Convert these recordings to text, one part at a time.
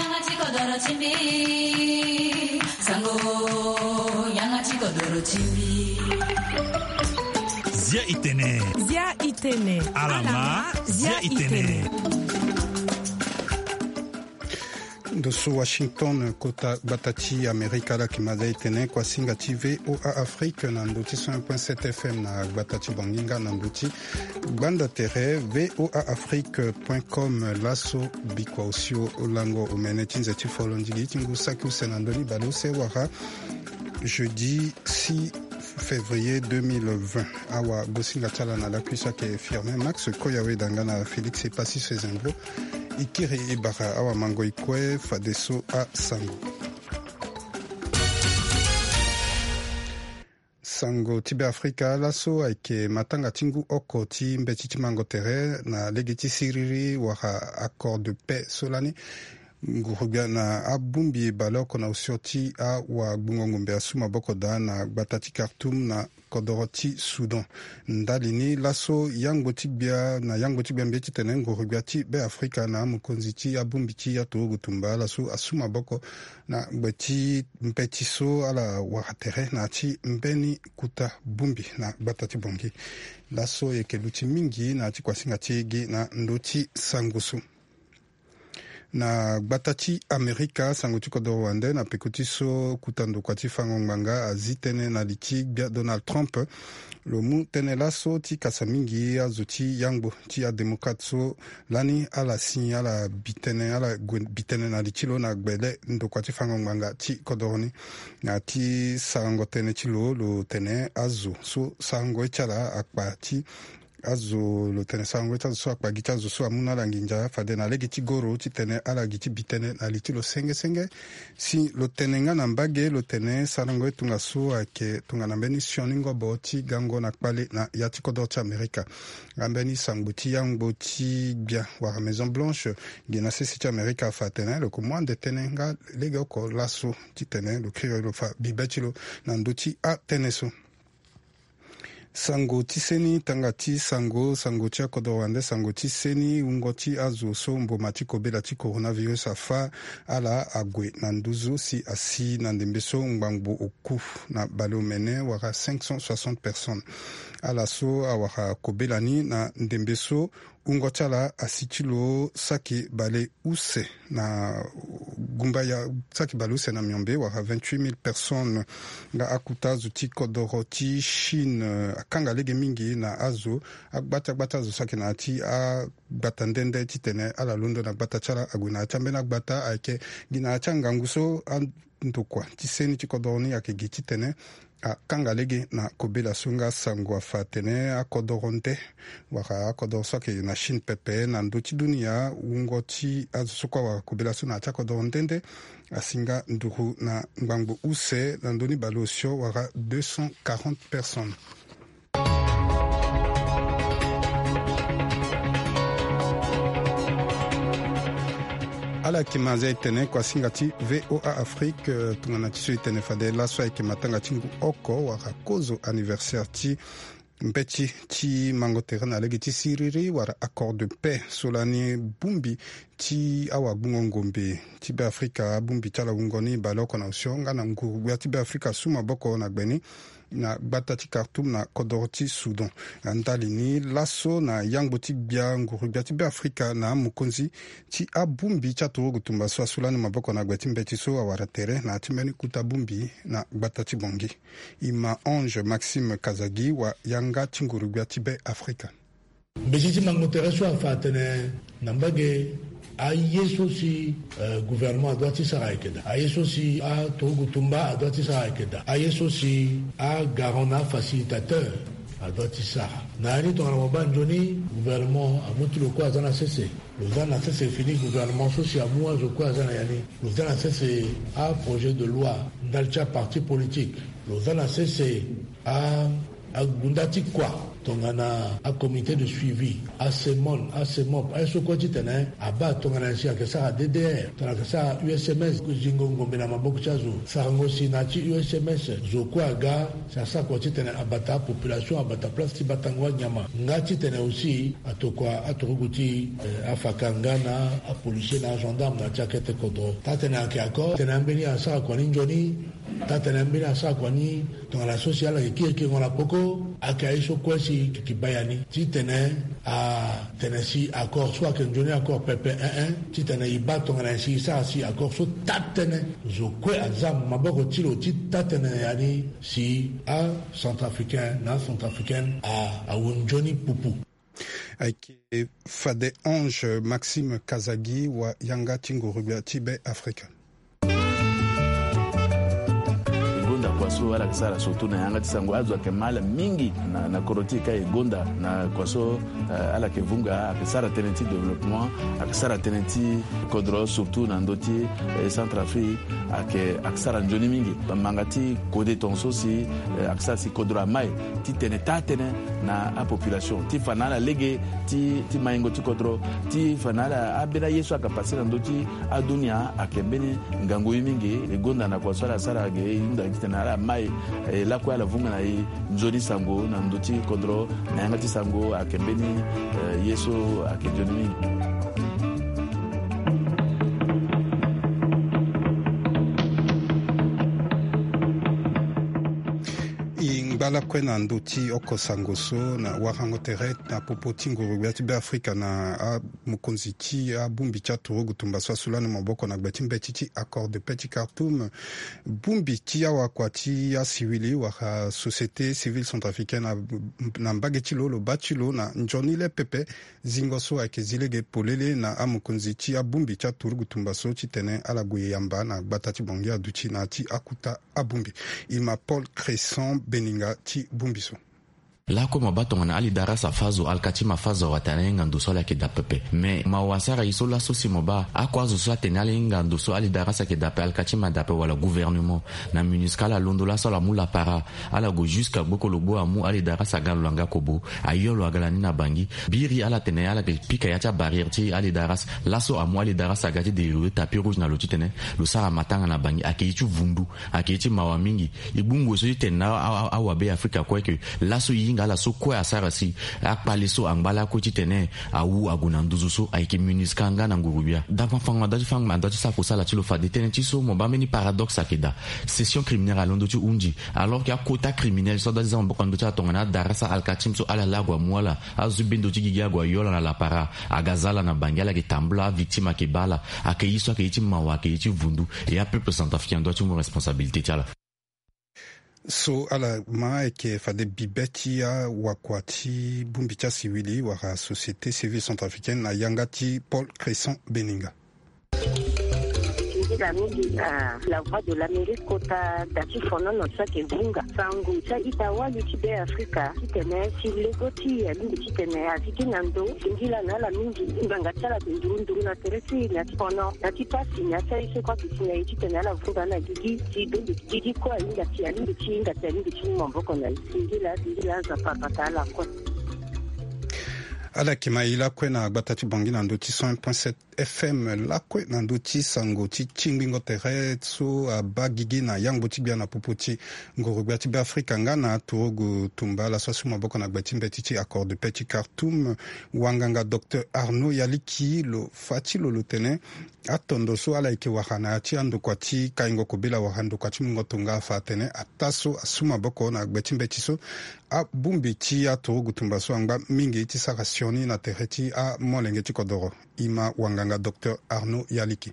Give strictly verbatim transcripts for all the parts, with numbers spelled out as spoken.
Yanga ti kodoro ti mbi. Sango, yanga ti kodoro ti mbi. Zia itene. Zia itene. Alama, zia itene. Ndo so Washington, kota gbata ti Amerika, ala yeke ma zia itene. Kuasinga ti V O A Afrique na ndo ti cent un point sept F M na gbata ti Banginga, na ndo ti gbanda tere V O A Afrique point com. Laso bikua osio lango omene ti nze ti folondigi ti ngu saki use na ndoni baleuse wala jeudi six février deux mille vingt. Awagosinga ti ala na lakui so ayeke Firmin Max Koyawe, danga na Félix Epassi Sezembro. E kiri e bara awamango e kue fadeso asango. Sango ti Beafrika. Laso ayeke matanga ti ngu oko ti mbeti ti mango tere na lege ti siriri wala accord de paix so lani nguru-gbia na abongbi baleoko na osio ti awagbungo ngombe asu maboko daa na gbata ti Khartoum na kodoro ti Soudan. Ndali ni laso yangbo ti gbia na yangbo ti gbia mbi ye titene nguru-gbia ti Beafrika na amokonzi ti abongbi ti aturugu tumba ala so asu maboko na gbe ti mbeti so ala wara tere na ya ti mbeni kuta bongbi na gbata ti Bangui. Laso e yeke luti mingi na ya ti kuasinga ti e gi na ndö ti sango so. Na gbata ti Amerika, sango ti kodoro wande na peko ti so kuta ndokua ti fango ngbanga azi tënë na li ti gbia Donald Trump. Lo mu tënë laso ti kasa mingi azo ti yangbo ti adémocrate so lani ala si ala bi tënë, ala gue bi tënë na li ti lo na gbele ndokua ti fango ngbanga ti kodoro ni. Na ya ti sarango tënë ti lo, lo tene azo so sarango ye ti ala akpa ti azo, lo tene sarango ye ti azo so akpa gi ti azo so amu na ala nginza fade na lege ti goro titene ala gi ti bi tënë na li ti lo senge senge. Si lo tene nga na mbage, lo tene sarango ye tongaso ayeke tongana mbeni sioni ngobo ti gango na kpale na ya ti kodoro ti Amerika. Nga mbeni sangbo ti yangbo ti gbia wala Maison Blanche gi na sese ti Amerika afa atene lo yeke mu ande tënë nga legeoko laso titene lo kiri lo fa bibe ti lo na ndö ti atënë so. Sango ti seni, tanga ti sango, sango ti akodoro wande, sango ti seni, wungo ti azo so mboma ti kobela ti coronavirus afa ala ague na nduzu si asi na ndembe so ngbangbo oku na baleomene wala cinq cent soixante personnes. Ala so awara kobela ni na ndembe so wungo ti ala asi ti lo saki baleuse na gumba ya saki baleuse na miombe wala vingt-huit mille personnes. Nga akuta azo ti kodoro ti Chine akanga lege mingi na azo, agbata gbata azo saki na ya ti agbata nde nde titene ala londo na gbata ti ala ague na ya ti ambeni agbata ayeke gi na ya ti angangu so a ndokua ti seni ti kodoro ni ayeke gi titene akanga lege na kobela so. Nga sango afa atene akodoro nde wala akodoro so ayeke na Chine pepe na ndö ti dunia, wungo ti azo so kue awara kobela so na ya ti akodoro nde nde asi nga nduru na ngbangbo use na ndö ni baleosio wala deux cent quarante personnes. Ala yeke ma zia e tene kuasinga ti V O A Afrique, eh, tongana ti so e tene fade laso ayeke matanga ti ngu oko wala kozo anniversaire ti mbeti ti mango tere na lege ti siriri wala accord de paix so lani bongbi ti awagbungo ngombe ti Beafrika, abongbi ti ala wungo ni baleoko na osio nga na nguru-gbia ti Beafrika asu maboko na gbe ni na gbata ti Khartoum na kodoro ti Soudan. Na ndali ni laso na yangbo ti gbia nguru-gbia ti Beafrika na amokonzi ti abongbi ti aturugu tumba so asu lani maboko na gbe ti mbeti so awara tere na ya ti mbeni kuta bongbi na gbata ti Bangui. Ima Ange Maxime Kazagi wa yanga ti nguru-gbia ti Beafrika. Mbeti ti mango tere so afa atene na mbage, aye so si, eh, gouvernement adoit ti sara ayeke daa. Aye so si aturugu tumba adoit ti sara ayeke daa. Aye so si agarant na afacilitateur adoit ti sara. Na ya ni tongana mo baa nzoni, gouvernement amu ti lo kue aza na sese. Lo za na sese fini gouvernement so si amu azo kue aza na ya ni. Lo za na sese aprojet de loi ndali ti aparti politique. Lo za na sese a, agunda ti kua tongana acomité de suivi, acemon, acemop, aye so kue titene abaa tongana nyen si ayeke sara ddr, tongana ayeke sara usms, zingo ngombe na maboko ti azo. Sarango si na ya ti usms zo kue aga si asara kua titene abata apopulation, abata place ti batango anyama nga titene aussi atokua aturugu ti afaka nga na apolisier na agendarme na ya ti akete kodro. Taa-tënë ayeke accord titene ambeni asara kua ni nzoni. Taa-tënë ambeni asara kua ni tongana so si ala yeke kiri kiringo na poko. Ayeke aye so kue si yeke baa ya ni titene atene si accord so ayeke nzoni accord pepe, eh eh, titene e baa tongana nyen si e sara si accord so taa-tënë zo kue aza maboko ti lo ti taa-tënë ya ni si acentrafricain na acentrafricaine awu nzoni pupu. Ayeke fade Ange Maxime Kazagi wa yanga ti nguru-gbia ti Be Afrika. E gonda kua so ala yeke sara surtout na yanga ti sango, azo ayeke ma ala mingi na kodro ti e ka. E gonda na kua so ala yeke vunga, ayeke sara tënë ti développement, ayeke sara tënë ti kodro surtout na ndö ti Centrafrique. Ayeke ayeke sara nzoni mingi. Manga ti kode tongaso si ayeke sara si kodro amai ti tene taa-tënë na apopulation ti fa na ala lege ti maingo ti kodro, ti fa na ala ambeni aye so ayeke pase na ndö ti adunia. Ayeke mbeni ngangu ye mingi. E gonda na kua so ala sara ge e hunda titene ala mai e lakue ala vunga na e nzoni sango na ndö ti kodro na yanga ti sango ayeke mbeni ye so ayeke nzoni mingi. E ngba lakue na ndö ti oko sango so na warango tere na popo ti nguru-gbia ti Be Afrika na amokonzi ti abongbi ti aturugu tumba so asu lani maboko na gbe ti mbeti ti accord de paix ti Khartoum. Bongbi ti awakua ti asiwili wala société civile centrafricaine na mbage ti lo lo baa ti lo na nzoni le pepe zingo so ayeke zi lege polele na amokonzi ti abongbi ti aturugu tumba so titene ala gue yamba na gbata ti Bangui aduti na ya ti akuta abongbi. E ma Paul Cresson Beninga ti bongbi so. Lakue mo baa tongana Ali Darras afâ zo, Alkatchim afâ zo, awatene ahinga ndo so ala yeke daa pepe. Mais mawa asara e so laso si mo baa ako azo so atene ala hinga ndo so Ali Darras ayeke daa ape, Alkatchim adaa ape wala gouvernement na MINUSCA ala londo laso ala mu lapara, ala gue jusqu'à Gboko Logbo amu Ali Darras aga na lo na nga kobo, ayo lo aga lani na Bangui. Biri ala tene ala yeke pika ya ti abarrière ti Ali Darras. Laso amu Ali Darras aga ti dérivé tapis rouge na lo titene lo sara matanga na Bangui. Ayeke ye ti vundu, ayeke ye ti mawa mingi. E gbu ngoi so ti tene na awabe Afrika kue ke laso e hinga ala so kue asara si akpale so angba lakue titene awu ague na nduzu so ayeke MINUSCA nga na nguru-gbia. Dafa fango na dua ti fango na dua ti sara kusala ti lo fade tënë ti so mo baa mbeni paradoxe ayeke daa. Session criminelle alondo ti hunzi alors que akota criminel so adua ti za maboko na ndö ti ala tongana Darras, Alkatchim so ala laa ague amu ala, azo ti bendo ti gigi ague ayo ala na lapara, aga za ala na Bangui, ala yeke tambula, avictime ayeke baa ala. Ayeke ye so ayeke ye ti mawa, ayeke ye ti vundu. Et apeuple centrafricain adua ti mu responsabilité ti ala. So ala ma ayeke fade bibe ti awakua ti bongbi ti asiwili wala société civile centrafricaine na yanga ti Paul Cresson Beninga. Singila mingi na La Voix de l'Amérique kota da ti fonono so ayeke vunga sango ti a-ita wali ti Be Afrika titene si lego ti e alingbi titene azi ti na ndo. Singila na ala mingi. Ngbanga ti ala ayeke nduru nduru na tere ti e na ti fono na ti pasi na ya ti aye so kue ayeke si na e titene ala vunga na gigi si dongi gigi kue ahinga si alingbi ti hinga si alingbi ti mu maboko na e. Singila singila Nzapa abata ala kue. Ala yeke ma e lakue na gbata ti Bangui na ndö ti cent un point sept F M lakue na ndö ti sango ti tingbingo tere so abaa gigi na yangbo ti gbia na popo ti nguru-gbia ti Be Afrika nga na aturugu tumba ala so asu maboko na gbe ti mbeti ti accord de paix ti Khartoum. Wanganga docteur Arnaud Yaliki lo fa ti lo lo tene atondo so ala yeke wara na ya ti andokua ti kaingo kobela wala andokua ti mungo tonga afa atene ataa so asu maboko na gbe ti mbeti so abongbi ti aturugu tumba so angba mingi ti sara sioni na tere ti amolenge ti kodoro. E ma wanganga docteur Arnaud Yaliki.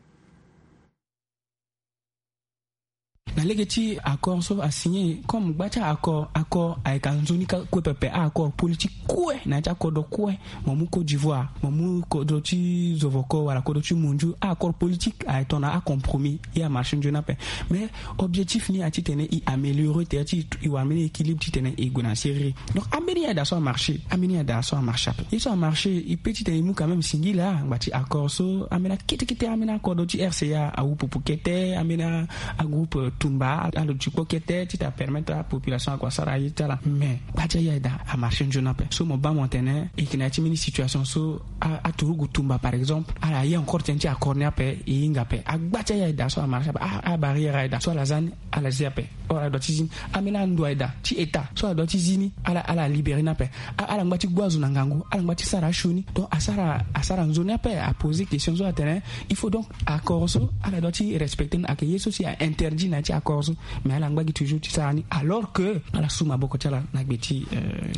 Na lege ti accord so asigné comme gba ti accord, accord ayeke anzoni kue pepe. Accord politique kue na ya ti akodro kue. Mo mu Côte d'Ivoire, mo mu kodro ti Zovoko wala kodro ti Mondiou, accord politique aye tongana acompromis. E amarché nzoni ape. Mais objectif ni aye titene e améliorer tere ti e wara mbeni équilibre titene e gue na serrure. Donc ambeni ya daa so amarché, ambeni ya daa so amarché ape. Ye so amarché e pe titene e mu quand même singila ngba ti accord so ambeni akete kete ambeni akodro ti R C A awu pupu kete ambeni agroupe. Tumba alo ti kpo kete ti ta permettre apopulation ako asara aye ti ala. Mais gba ti aye ayeda amarché nzoni ape. So mo baa mo tene e yeke na ya ti mbeni situation so aturugu tumba par exemple ala ye encore tënë ti accord ni ape e hinga ape. Agba ti aye ayeda so amarché ape, abarrière ayeda so ala za ni ala zi ape. Or ala doit ti zi ni. Ambeni ando ayeda ti état so ala doit ti zi ni ala ala libéré ni ape. Ala ngba ti gbu azo na ngangu, ala ngba ti sara asioni. Donc asara asara nzoni ape, aposer question so atene il faut donc accord so ala doit ti respecter ni. Ayeke ye so si ainterdit na ya ti accord so. Mais ala ngba gi toujours ti sara ni alors que ala su maboko ti ala na gbe ti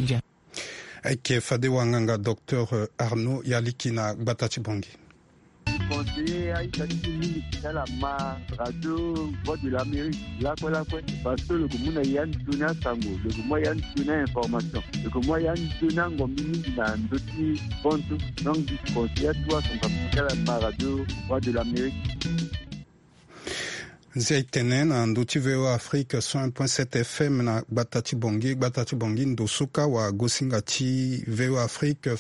ndia. Ayeke fade wanganga docteur Arnaud Yaliki na gbata ti Bangui. Conseiller aita ti mingi ti ala ma radio Voix de l'Amérique lakue lakue, parce que lo yeke mu na ya nzoni asango, lo yeke mu ya nzoni ainformation, lo yeke mu ya nzoni angombi mingi na ndö ti bantu. Donc di conseiller atu asango ti ala ma radio Voix de l'Amérique. Nzia etene na ndö ti V O A Afrique cent un point sept F M na gbata ti Bangui. Gbata ti Bangui ndo so kâ wagosinga ti V O A Afrique,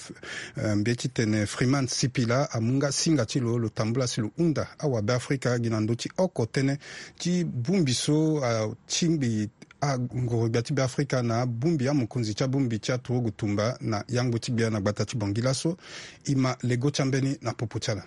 mbeti tene Freeman Sipila amu nga singa ti lo lo tambula si lo hunda awabe Afrika gi na ndö ti oko tënë ti bongbi so atingbi angoro-gbia ti Beafrika na abongbi amokonzi ti abongbi ti aturugu tumba na yangbo ti gbia na gbata ti Bangui laso. E ma lego ti ambeni na popo ti ala.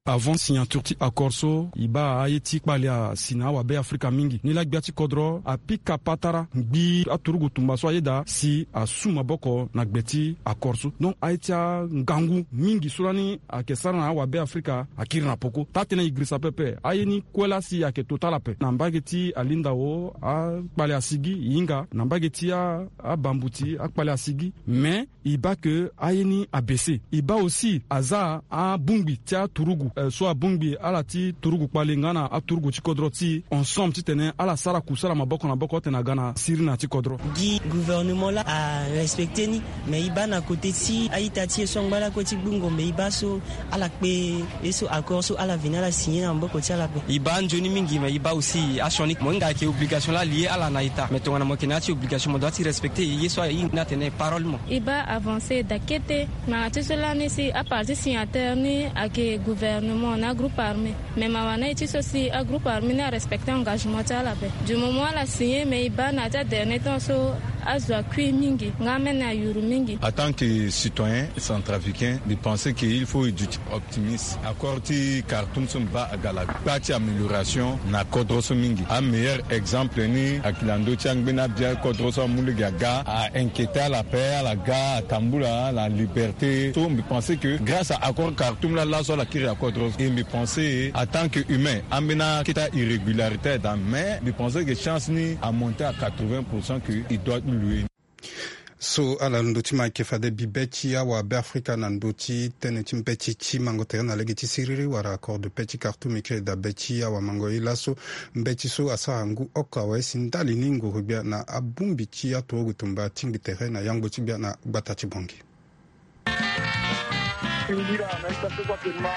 Avant signature ti accord so e baa aye ti kpale asi na awabe Afrika mingi. Nilaa gbia ti kodro apika patara ngbii aturugu tumba so ayeda si asu maboko na gbe ti accord so. Donc aye ti angangu mingi so lani ayeke sara na awabe Afrika akiri na poko. Taa-tënë e girisa pepe aye ni kue laa si ayeke to ti ala ape na mbage ti alindao akpale asi gi e hinga na mbage ti abambuti akpale asi gi. Mais e baa ke aye ni abese. E baa aussi aza abongbi ti aturugu so abongbi ala ti turugu kpale nga na aturugu ti kodro ti e ensemble titene ala sara kusala maboko na maboko titene aga na sirina ti kodro. Gi gouvernement laa arespecte ni. Mais e baa na kote ti a-ita ti e so angba lakue ti gbu ngombe e baa so ala kpe ye so accord so ala veni ala signé na maboko ti ala ape. E baa nzoni mingi mais e baa aussi asioni mo hinga ayeke obligation laa lie ala na ita mais tongana mo yeke na ya ti obligation mo doit ti respecte ye so ahinga ni atene parole mo. E baa avancé daa kete. Ngbanga ti so lani si aparti signataire ni ayeke gouvernement na agroupe armé. Mais mawa na e ti so si agroupe armé ni arespecte engagement ti ala ape. Du moment ala signé mais e baa na ya ti adernier temps so azo akui mingi nga amene ayuru mingi. En tant que citoyen centrafricain, mbi pense que il faut e duti optimiste. Accord ti Khartoum so mbi baa aga na gba ti amélioration na kodro so mingi. Ameilleur exemple ni ayeke na ndö ti angbeni abia kodro so amu lege aga a-inquiéter ala ape, ala ga atambula na liberté. So mbi pense que grâce à accord Khartoum laa laso ala kiri na kodro so. Et mbi pense en tant que humain ambeni akete irrégularité ayeda mais mbi pense que chance ni amonte à quatre-vingts pour cent que e doit louer. So ala ndö ti ma ayeke fade bibe ti awabe Afrika na ndö ti tënë ti mbeti ti mango tere na lege ti siriri wala accord de paix ti Khartoum e kiri dabe ti awamango ye laso. Mbeti so asara ngu oko awe si ndali ni nguru-gbia na abongbi ti aturugu tumba atingbi tere na yangbo ti gbia na gbata ti Bangui. Singira na ita so kue ayeke ma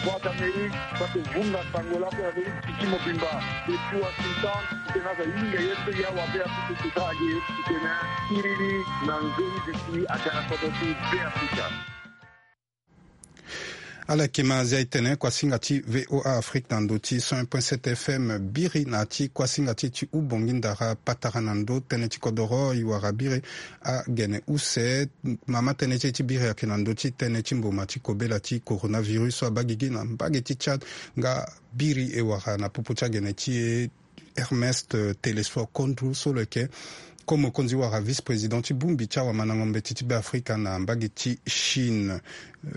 Voix d'Amérique so ayeke vunga sango lakue na ndö ti titi mobimba. Depuis Washington titene aza hinga ye so ya wabe Afrika so daa aye titene siriri na nzoni duti aga na kodro ti Beafrika. Ala yeke ma azia e tene kuasinga ti V O A Afrique na ndö ti cent un point sept F M biri na ya ti kuasinga ti e ti hubongi ndara patara na ndö tënë ti kodoro e wara biri agene use. Mama tënë ti e ti biri ayeke na ndö ti tënë ti mboma ti kobela ti coronavirus so abaa gigi na mbage ti Tchad nga biri e wara na popo ti agene ti e Ernest Telesphore Kondou so lo yeke ko mokonzi wala vice-président ti bongbi ti awamandango mbeti ti Beafrika na mbage ti Chine.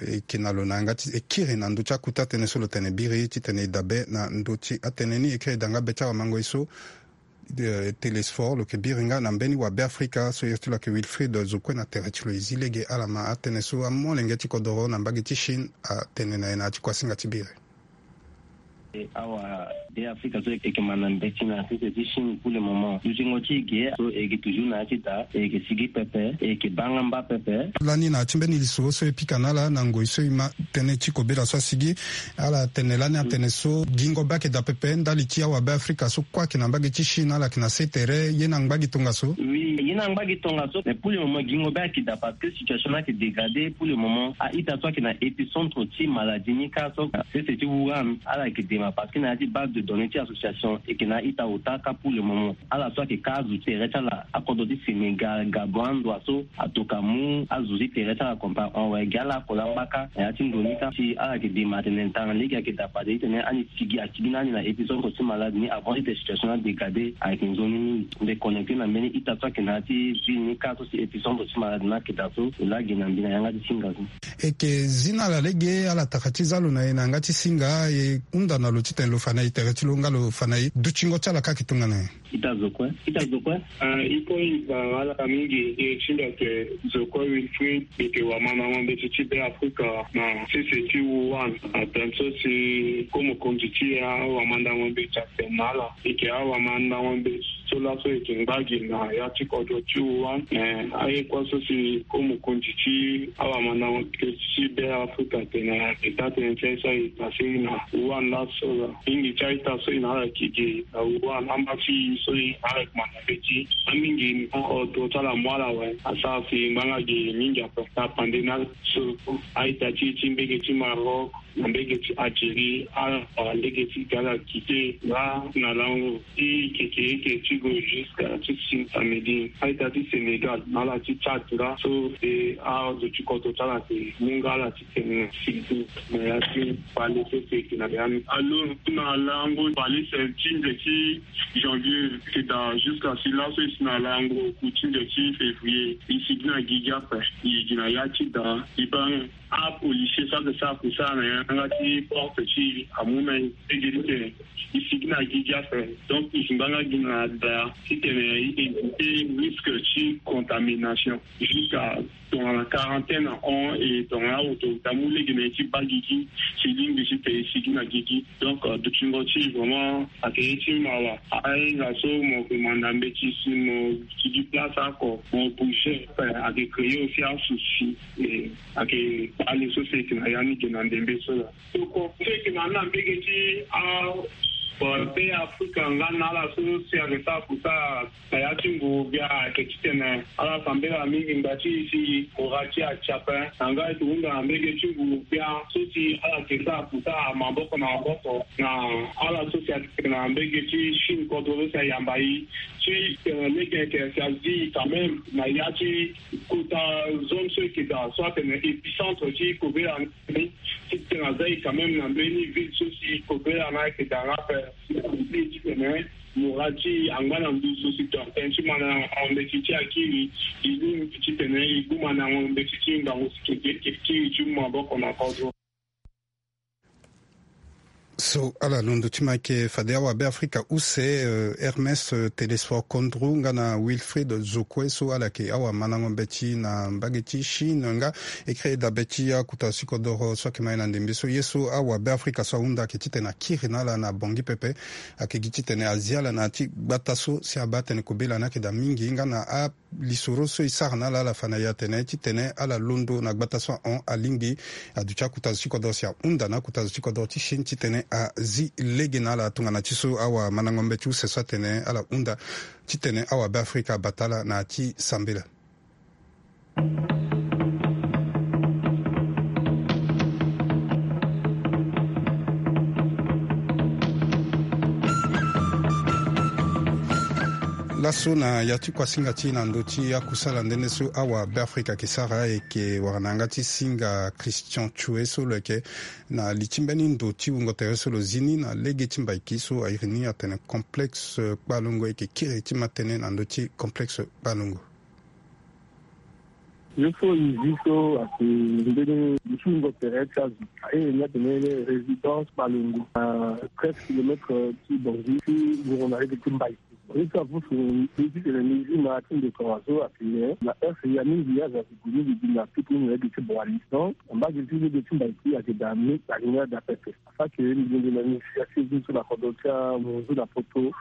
E yeke na lo na yanga ti e kiri na ndö ti akuta tënë so lo tene biri titene e dabe na ndö ti atënë ni. E kiri e daa nga be ti awamango ye so Telesphore lo yeke biri nga na mbeni wabe Afrika so iri ti lo ayeke Wilfried Zokue na tere ti lo e zi lege ala ma atënë so amolenge ti kodoro na mbage ti Chine atene na e na ya ti kuasinga ti biri. Awa be Afrika so e yeke ma na mbeti na sese ti Chine pour le moment. Dutingo ti e ge so e yeke toujours na ya ti da e yeke sigi pepe e yeke baa nga mba pepe. Lani na ya ti mbeni lisoro so e pika na ala na ngoi so e ma tënë ti kobela so asigi ala tene lani atene so gingo be ayeke daa pepe ndali ti awabe Afrika so kue ayeke na mbage ti Chine ala yeke na se tere ye ni angba gi tongaso. Oui ye ni angba gi tongaso mais pour le moment gingo be ayeke daa parce que situation ni ayeke dégradé pour le moment. A-ita so ayeke na épicentre ti maladie ni kâ so sese ti Wuhan ala yeke Parce que na ya ti base de données ti association eke na ita ota ka pour le moment. Ala so ayeke ka azo ti tere ti ala akodro ti Sénégal, Gabon, andoa so atoka mu azo ti tere ti ala compa hon awe gi ala akoli angbaka na ya ti ndo ni ka si ala yeke dema atene tanga lege ayeke dapa de titene ani sigi asigi na ani na épicentre ti malade ni avant ti tene situation ni adégradé ayeke nzoni mingi. Mbi connecté na mbeni ita so ayeke na ya ti ville ni ka so si épicentre ti malade ni ayeke daa so e laa gi na mbi na yanga ti singa so. Eke zi na ala lege ala taka ti za lo na e na yanga ti singa e hunda na lo titene lo fa na e tere ti lo nga lo fa na e dutingo ti ala ka ayeke tongana nyen? Ita zo kue. Ita zo kue. Ah, e kue e fa ala mingi e ti mbi ayeke zo kue Wilfried, mbi yeke wamandango mbeti ti Be Afrika na sese ti Wuhan. Ape so si ko mokonzi ti awamandango mbeti atene na ala, e yeke awamandango mbeti so laso e yeke ngba gi na ya ti kodro ti Wuhan. Me aye kue so si ko mokonzi ti awamandango mbeti ti Be Afrika atene na yeke taa tënë ti aye so aye pase na Wuhan laso. Mingi ti a-ita so e na ala yeke gi na Wuhan, amba ti e so e na ala yeke manda mbeti. Amingi ni, odro ti ala amu ala awe, asara si ngbanga gi mingi ape. Na pande ni so a-ita ti e ti mbege ti Maroc na mbege ti Algérie, ala wara lege ti ga ala quitté nga na lango ti keke eke ti gue jusqu'à ti si samedi. A-ita ti Sénégal na ala ti Tchad nga so e azo ti kodro ti ala ayeke mu nga ala ti tene sigi na ya ti kpale so si e yeke na ya ni. Alo, na lango kpale si ti nze ti janvier e yeke daa jusqu'à si laso e si na lango ku ti nze ti février. E sigi na gigi ape, e gi na ya ti daa, e baa apolisier so ayeke sara kusala na yanga ti porte ti e amu na e lege titene e sigi na gigi ape. Donc e si ngbanga gi na daa titene e éviter risque ti contamination jusqu'à tongana quarantaine ahon, e tongana autorité amu lege na e ti baa gigi si e lingbi titene e sigi na gigi. Donc, euh, dutingo ti e vraiment ayeke ye ti mawa. Ahinga so mo yeke manda mbeti si mo sigi place oko, mo bouger, euh, ayeke créer aussi asouci. E ayeke kpale so si e yeke na ya ni ge na ndembe so laa. Tokua so e yeke na ni na mbege ti a, euh, Be Afrika nga na ala so si ayeke sara kusala na ya ti nguru-gbia ayeke titene ala sambela mingi ngba ti e si kura ti e atia ape. Na nga e yeke hunda na mbege ti nguru-gbia so si ala yeke sara kusala maboko na maboko na ala so si ayeke na mbege ti Chine kodro so si ayamba e ti tene lege ayeke si azi e quand même na ya ti kota zone so e yeke daa so atene épicentre ti kobela ni. Titene aza e quand même na mbeni ville so si kobela ni ayeke daa nga ape. Titene mora ti e angba na nduzu si tene ti mandango mbeti ti akiri, e lingbi titene e gu mandango mbeti ti ngangu si keke kiri ti mu maboko na kodro. So ala londo ti ma yeke fade awabe afrika use, euh, Hermes, euh, Télésphore Kondrou nga na Wilfried Zokwe so ala yeke awamandango mbeti na mbage ti Chine nga e créer dabe ti akota sikodoro so ayeke ma e na ndembe so. Ye so awabe afrika so ahunda ayeke titene akiri na ala na bongi pepe. Ayeke gi titene azi ala na ya ti gbata so si abaa atene kobela ni ayeke daa mingi nga na a lisoro so e sara na ala, ala fa na e atene titene ala londo na gbata so ahon alingbi aduti akota zo ti kodoro si ahunda na akota zo ti kodoro ti Chine titene azi lege na ala. Tongana ti so awamandango mbeti use so atene ala hunda titene awabe afrika abata ala na ya ti sambela. Laso na ya ti kuasinga ti e na ndö ti akusala nde nde so awabe afrika ayeke sara, e yeke wara na yanga ti singa Christian Tchoué so lo yeke na li ti mbeni ndo ti wungo tere so lo zi ni na lege ti Mbaiki so a iri ni atene complexe Kpalongo. E yeke kiri ti ma tënë na ndö ti complexe Kpalongo. Ye so e zi so ayeke mbeni li ti wungo tere ti azo. A iri ni atene résidence Kpalongo, na treize kilomètre ti Bangui ti wungo na lege ti Mbaiki. Ye so avusu mbi titene mbi zi ma ti ndeko azo atene na heure ya mingi azo ayeke gue mingi gi na tuku mingi na lege ti Boali. Donc na mbage ti lege ti Mbaiki ayeke daa mingi, ayeke daa pepe. Afa ke mbi yeke na initiative ni so na kodro ti amunzu na poto,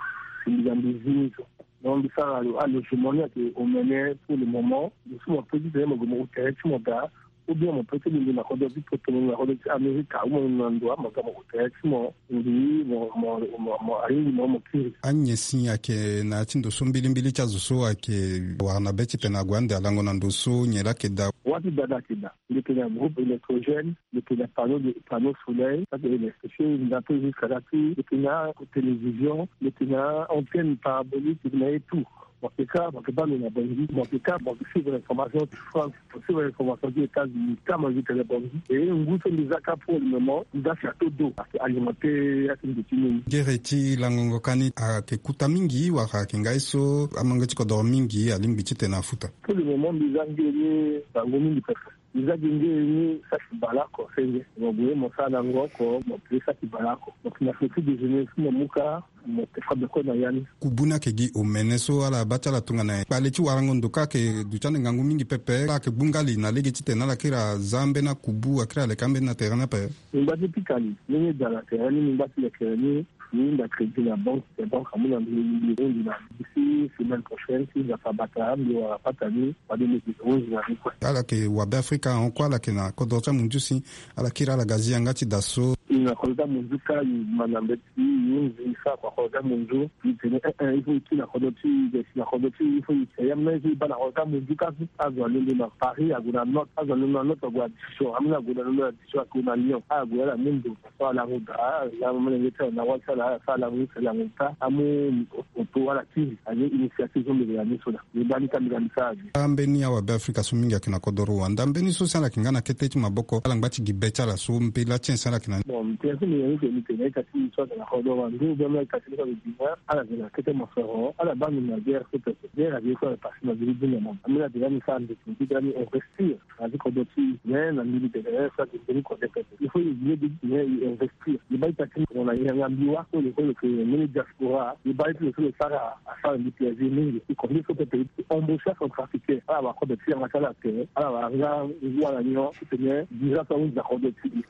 si mbi ga mbi zi ni so. Donc mbi sara alogement ni ayeke omene pour le moment. Mbi so mo pe titene mo gue mo tere ti mo daa. Ou bien mo peut ti lingbi na kodro ti poto, mo lingbi na kodro ti Amerika, ou mo lingbi na ndo ama ga mo ko tere ti mo. Mbi mo mo mo mo alingbi mo mo kiri. Anyen si ayeke na ya ti ndo so mbilimbili ti azo so ayeke wara na be ti tene ague ande alango na ndo so nyen laa ayeke daa. Wâ ti daa laa ayeke daa. Mbi yeke na groupe électrogène, mbi yeke na panneau de panneau soleil, ça c'est électrifié, na peu jusqu'à là ti mbi yeke na télévision, mbi yeke na antenne parabolique, mbi yeke na ye tout. Mo yeke ka mo yeke baa ndo na Bangui, mo yeke ka mo yeke suivre information ti France, mo suivre information ti États-Unis, ka mo yeke tene Bangui. E ngu so mbi za ka pour le moment, mbi za château d'eau, ayeke alimenté ya ti ndo ti mbi. Gere ti langongo ka ni ayeke kuta mingi wala ayeke ngai so amange ti kodoro mingi alingbi ti tene afuta? Pour le moment mbi za nge ni bango mingi pepe. Mbi za gi nge ni saki bale oko senge. Mo gue mo sara na ngo oko, mo pe saki bale oko. Mo yeke na petit déjeuner so mo mu ka, mo te fa beko na ya ni. Kubu ni ayeke gi omene so ala baa ti ala tongana nyen? Kpale ti warango ndo ka ayeke duti ande ngangu mingi pepe. Ala yeke gbu nga li na lege titene ala kiri aza ambeni akubu, akiri aleke ambeni na tere ni ape? Mbi ngba ti pika li, ndenge daa na tere ni, mbi ngba ti lekere ni. Mbi hunda crédit na banque, te banque amu na mbi, mbi hunda na mbi. D'ici semaine prochaine, si Nzapa abata, mbi wara pata ni, fade mbi yeke hunda na mbi kue. Ala yeke wa Beafrika ahon kue, ala yeke na kodro ti amunzu si ala kiri ala ga zi yanga ti daa so. E na kodro ti amunzu ka, e ma na mbeti, e hunzi, e sara kua kodro ti amunzu. E tene, eh, eh, il faut e kiri na kodro ti e, e si na kodro ti e, il faut e si. Ya mbi na, il faut e baa na kodro ti amunzu ka so. Azo alondo na Paris ague na note, azo alondo na note ague na Dijon, ameni ague na, alondo na Dijon ague na Lyon, ague ala mu ndo. So ala ngu daa, ala mu molenge ti ala na wâ ti ala, ala sara ala ngu, ala ngu taa, amu poto ala kiri, aye initiative so mbi yeke na ni so laa. Mbi baa ni ka mbi ga mbi sara aye. Ambeni awa Beafrika so mingi ayeke na kodoro wande, ambeni so si ala yeke nga na kete ti maboko, ala ngba ti gi be ti ala so, mbela ti nyen si ala yeke na ni? Bon, mbi tene so mbi yeke ni, mbi tene, mbi tene na ye ka ti so ayeke na kodoro wande, ou bien mbi yeke na ye ka ti so ayeke na Guinée, ala yeke na kete mosoro, ala baa mbi na guerre so pepe. Guerre ayeke so ala pase na mbi ti dunia mama. Ambeni ala yeke ga mbi sara ndeke, mbi ga mbi investir. Azi kodro ti e, mais na mbi mbi tene, eh, so ayeke mbeni kode pepe. Il faut e ye de, mais e investir. E baa ita ti e na yanga mbi wâ so lo so lo yeke mbeni diaspora. E baa ita lo so lo sara asara mbi plaisir mingi. E kode so pepe e embaucher acentrafricain. Ala wara kode ti yanga ti ala tere. Ala wara nga ngu ala nyon titene visa so ahunzi na kode ti e.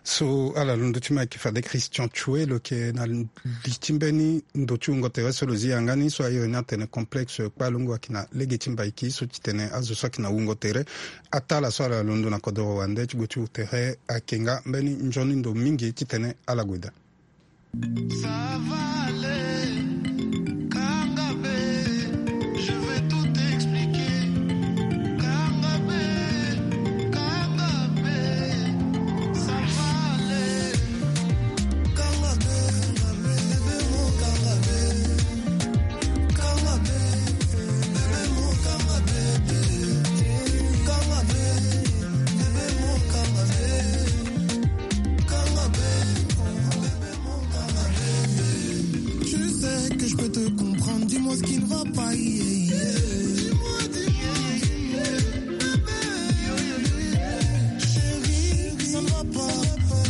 So ala londo ti ma ayeke fade Christian Tchoué lo yeke na li ti mbeni ndo ti wungo tere so lo zi yanga ni so a iri ni atene complexe kpalongo ayeke na lege ti Mbaiki so titene azo so ayeke na wungo tere. Ataa ala so ala londo na kodoro wande ti gue ti wu tere ayeke nga mbeni nzoni ndo mingi titene ala gue daa. Ça va aller, Kangabe, je vais tout expliquer. Kangabe, Kangabe, ça va aller. Tu sais que je peux te comprendre, dis-moi ce qui ne va pas, yeah, yeah. Chérie, ça ne va pas,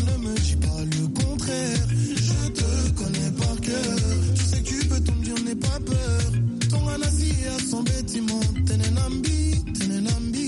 ne me dis pas le contraire. Je te connais par cœur. Tu sais que tu peux tout me dire, n'aie pas peur. Ton anasi a son bâtiment. Tenenambi, tenenambi.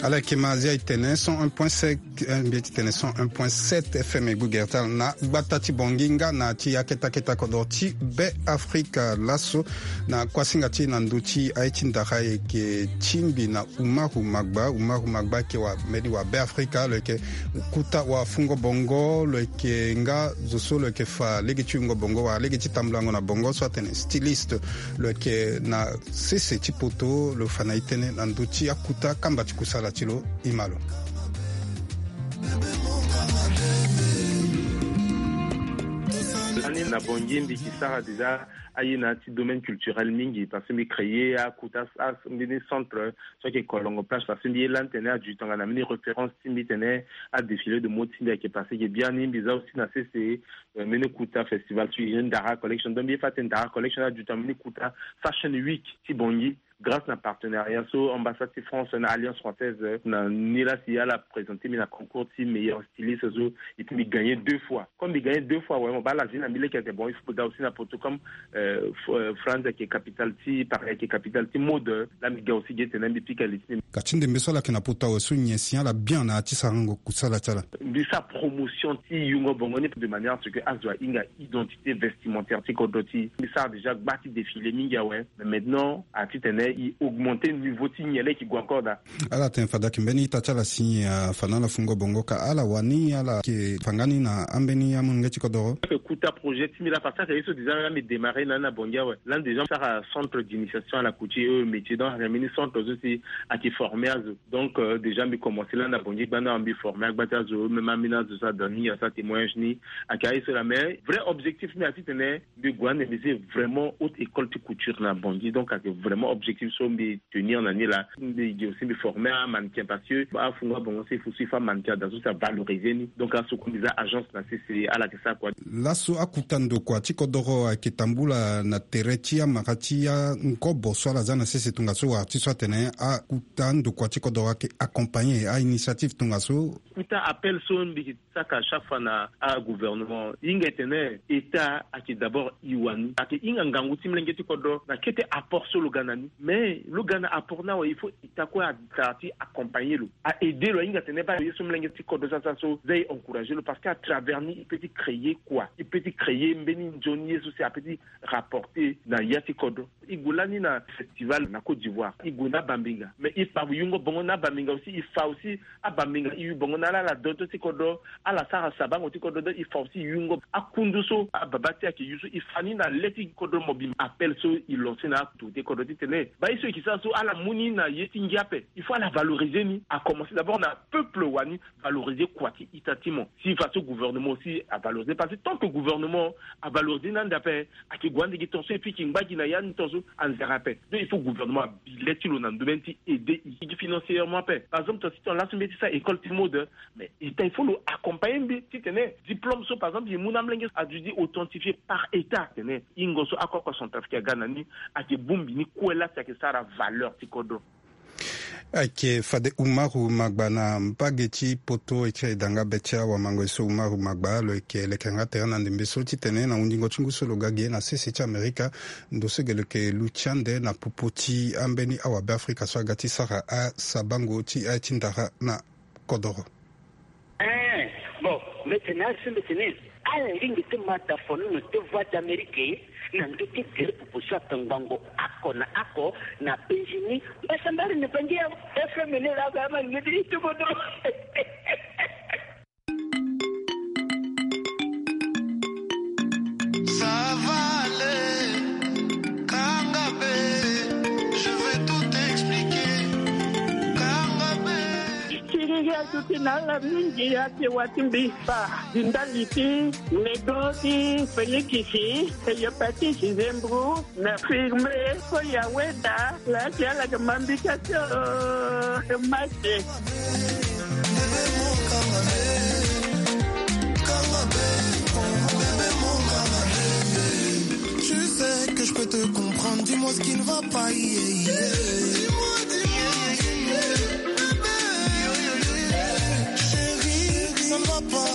Ala yeke ma azia e tene cent un point cinq, eh, mbi ye ti tene cent un point sept F M e gue gere ti ala na gbata ti Bangui nga na ti akete akete kodro ti Be Afrika laso. Na kuasinga ti e na ndö ti aye ti ndara e yeke tingbi na Umaru Magba. Umaru Magba ayeke wa mbeni wa Be Afrika, lo yeke kuta wa fungo bongo, lo yeke nga zo so lo yeke fa lege ti wungo bongo wala lege ti tambulango na bongo so atene styliste. Lo yeke na sese ti poto, lo fa na e tënë na ndö ti akuta kamba ti kusala ti lo. E ma lo. Lani na Bangui mbi yeke sara déjà aye na ya ti domaine culturel mingi parce que mbi créer akuta, ah, mbeni centre so ayeke Kolongo Plage parce que mbi ye lani tene aduit tongana mbeni référence ti mbi tene adéfilé de mode ti mbi ayeke passé ge biani. Mbi za aussi na sese, euh, mbeni kuta festival so e Ndara Collection. Donc mbi ye fa atene Ndara Collection aduit tongana mbeni kuta Fashion Week ti Bangui. Grâce na partenariat so ambassade ti France na Alliance française, euh, na ni la si ala présenter mbi na concours ti meilleur styliste so, et puis mbi gagner deux fois. Comme mbi gagner deux fois, ouais, mo baa ala zi na mbi leke ake, bon, il faut mbi ga aussi na poto comme, euh, F-, euh, France ake capitale ti, Paris ake capitale ti mode, la mbi ga aussi ge ti tene mbi pika li ti mbi. Ka ti ndembe so ala yeke na poto awe so nyen si ala bien na ya ti sarango kusala ti ala? Mbi sara promotion ti yungo bongo ni de manière à ce que azo ahinga identité vestimentaire ti kodro ti. Mbi sara déjà gba ti défilé mingi awe. Mais maintenant, a ti tene i augmenter niveau ti nyen la i ke gue encore daa. Ala tene fade ayeke mbeni ita ti ala si, ah, fa na ala fungo bongo ka ala wani ala yeke fa nga ni na ambeni amolenge ti kodoro. Ayeke kuta projet ti mbi la parce que ayeke ye so déjà la mbi démarrer na ni na Bangui awe. La déjà mbi sara centre d'initiation à la couture et aux métiers. Donc ayeke mbeni centre so si ayeke former azo. Donc, euh, déjà mbi commencer la na Bangui gbanda awe mbi former agba ti azo, même ambeni azo so ada ni asara témoignage ni. Ayeke aye so la, mais vrai objectif ti mbi a ti tene mbi gue ande mbi zi vraiment haute école ti couture na Bangui. Donc ayeke vraiment objectif so mbi tenir na ni la. Mbi gi aussi mbi former amannequin parce que afungo abongo so il faut so il faut amannequin ada so si avalorisé ni. Donc aso kue mbi za agence na sese ala yeke sara kua. Laso akuta ndokua ti kodoro ayeke tambula na tere ti amara ti angobo so ala za na sese tongaso wala ti so atene akuta ndokua ti kodoro ayeke accompagner a-initiative tongaso. Kuta appel so mbi saka chaque fois na agouvernement. Hinga e tene État ayeke d'abord i wani. Ayeke hinga ngangu ti molenge ti kodro na kete apport so lo ga na ni. Mais lo ga na apport ni awe, il faut État kue atara ti accompagner lo, a aider lo, ahinga tene baa ye so molenge ti kodro so asara so, za e encourager lo parce que à travers ni i peut ti créer quoi? I peut ti créer mbeni nzoni ye so si a peut ti rapporter na ya ti kodro. I gue lani na festival na Côte d'Ivoire, i gue na abambinga, mais i fa yungo bongo na abambinga aussi, i fa aussi abambinga i yu bongo na ala, ala doto ti kodro, ala sara sabango ti kodro, donc i fa aussi yungo akundu so ababa ti e ayeke yu so, i fa ni na le ti kodro mobimba. Appel so i lancer na autorité kodro ti tene baa ye so e yeke sara so ala mu ni na ye ti ngia ape. Il faut ala valoriser ni, à commencer d'abord na peuple wani, valoriser kua ti ita ti mo. Si façon gouvernement aussi avaloriser, parce que tant que gouvernement avaloriser ni ande ape, ayeke gue ande gi tongaso e piki ngba gi na ya ni tongaso anzere ape. Donc il faut gouvernement abi le ti lo na ndomene ti aider i gi financièrement ape. Par exemple tongaso ti tongana laso mbi ye ti sara école ti mode, mais État il faut lo accompagner mbi ti tene diplôme so par exemple e mu na amolenge aduti authentifié par État, tene hingo so akoko centrafricain aga na ni ayeke bongbi ni kue la si ayeke sara valeur ti kodro. Ayeke fade Umaru Magba na mbage ti poto, e ti danga be ti awamango ye so Umaru Magba lo yeke leke yanga tere na ndembe so ti tene na hundingo ti ngu so lo ga ge na sese ti Amerika, ndo so ge lo yeke luti ande na popo ti ambeni awabeafrika so aga ti sara asabango ti aye ti ndara na kodoro. Eh, bon, mbi tene aye so mbi tene ala lingbi ti ma da fonono ti Voix d'Amérique na ndö ti gere popo so akangbango oko na oko na Benjini. Mbasambara na Bangi ya F M ni la ga ma ngeti ti kodro. Ça va aller, Kangabe, je vais tout expliquer. Kangabe. Siriri atuti na ala mingi ake wa ti mbi fa. Di ndali ti nego ti Félix, e yepeti ti zembro na firme so ya weda la ti ala ke mambi ka ti, euh, mate. Tu sais que je peux te comprendre, dis-moi ce qui ne va pas, yeah, yeah. Dis-moi, dis-moi, dis-moi, bébé. Chérie, ça ne va pas,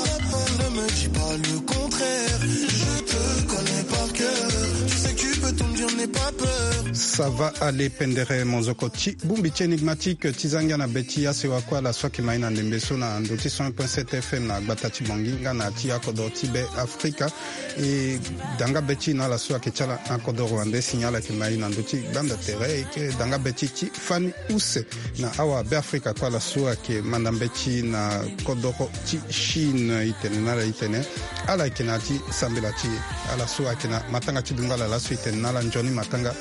ne me dis pas le contraire. Je te connais par cœur, tu sais que tu peux tout me dire, n'aie pas peur. Ça va aller, pendere, monzoko ti bongbi ti énigmatique ti za ngia na be ti asewa kue ala so ayeke ma ye na ndembe so na ndo ti cent un point sept F M na gbata ti Bangui nga na ti akodro ti Be Afrika. E danga be ti na ala so ayeke ti ala na kodoro wande si ala yeke ma ye na ndö ti gbanda tere, e yeke danga be ti ti fani use na awabeafrika kue ala so ayeke manda mbeti na kodoro ti Chine. E tene na ala e tene ala yeke na ya ti sambela ti e. Ala so ayeke na matanga ti dungba ala laso e tene na ala nzoni matanga.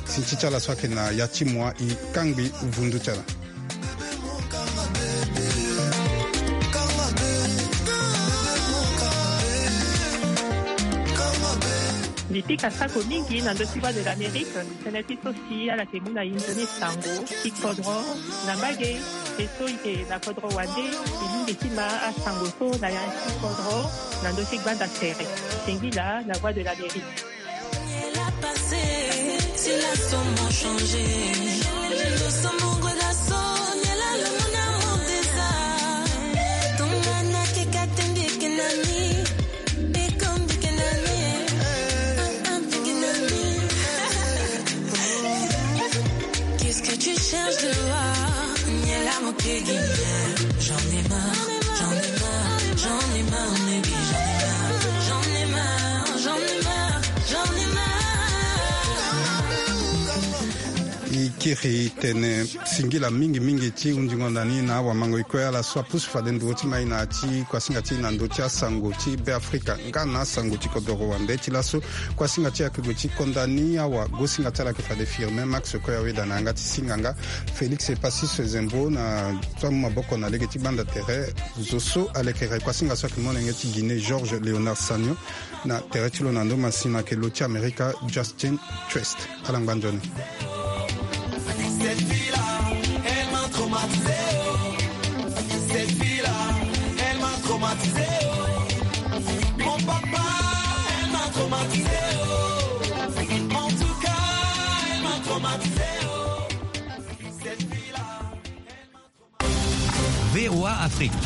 Sinti ti ala so ayeke na ya ti mua e kangbi vundu ti ala. Mbi pika sako mingi na ndö ti Voix de l'Amérique, tënë ti so si ala yeke mu na e nzoni sango ti kodro na mbage, e so e yeke na kodro wande, e lingbi ti ma asango so na ya ti kodro na ndö ti gbanda tere. Singila na Voix de l'Amérique. Laso mo changer. Nous sommes amoureux, laso. Ni la le mon amour déjà. Tonga na keka tende kenani. Bekombi kenani. Anti kenani. Qu'est-ce que tu cherches dehors? Ni la mon kegi. J'en ai marre, j'en ai marre, j'en ai marre, baby, j'en ai marre, j'en ai marre, j'en ai marre, j'en ai marre. E kiri tene singila mingi mingi ti hundingo na ni na awamango. E kue ala so apusu fade nduru ti mai na ti kuasinga ti na ndö ti asango ti Beafrika nga na asango ti kodoro wande ti laso. Kuasinga ti ayeke gue ti konda ni awa, gosinga ti ala ayeke fade Firmin Max Koya Weda na yanga ti singa nga Félix Epasis Zembo na so amu maboko na lege ti gbanda tere. Zo so alekere kuasinga so ayeke molenge ti Guinée Georges Léonard Sagnon. Na tere ti lo na ndo masina ayeke lo ti Amerika Justin Trest. Ala ngba nzoni. Cette fille-là, elle m'a traumatisé, oh. Cette fille-là, elle m'a traumatisé, oh. Mon papa, elle m'a traumatisé, oh. En tout cas, elle m'a traumatisé, oh. Cette fille-là, elle m'a traumatisé. V O A Afrique.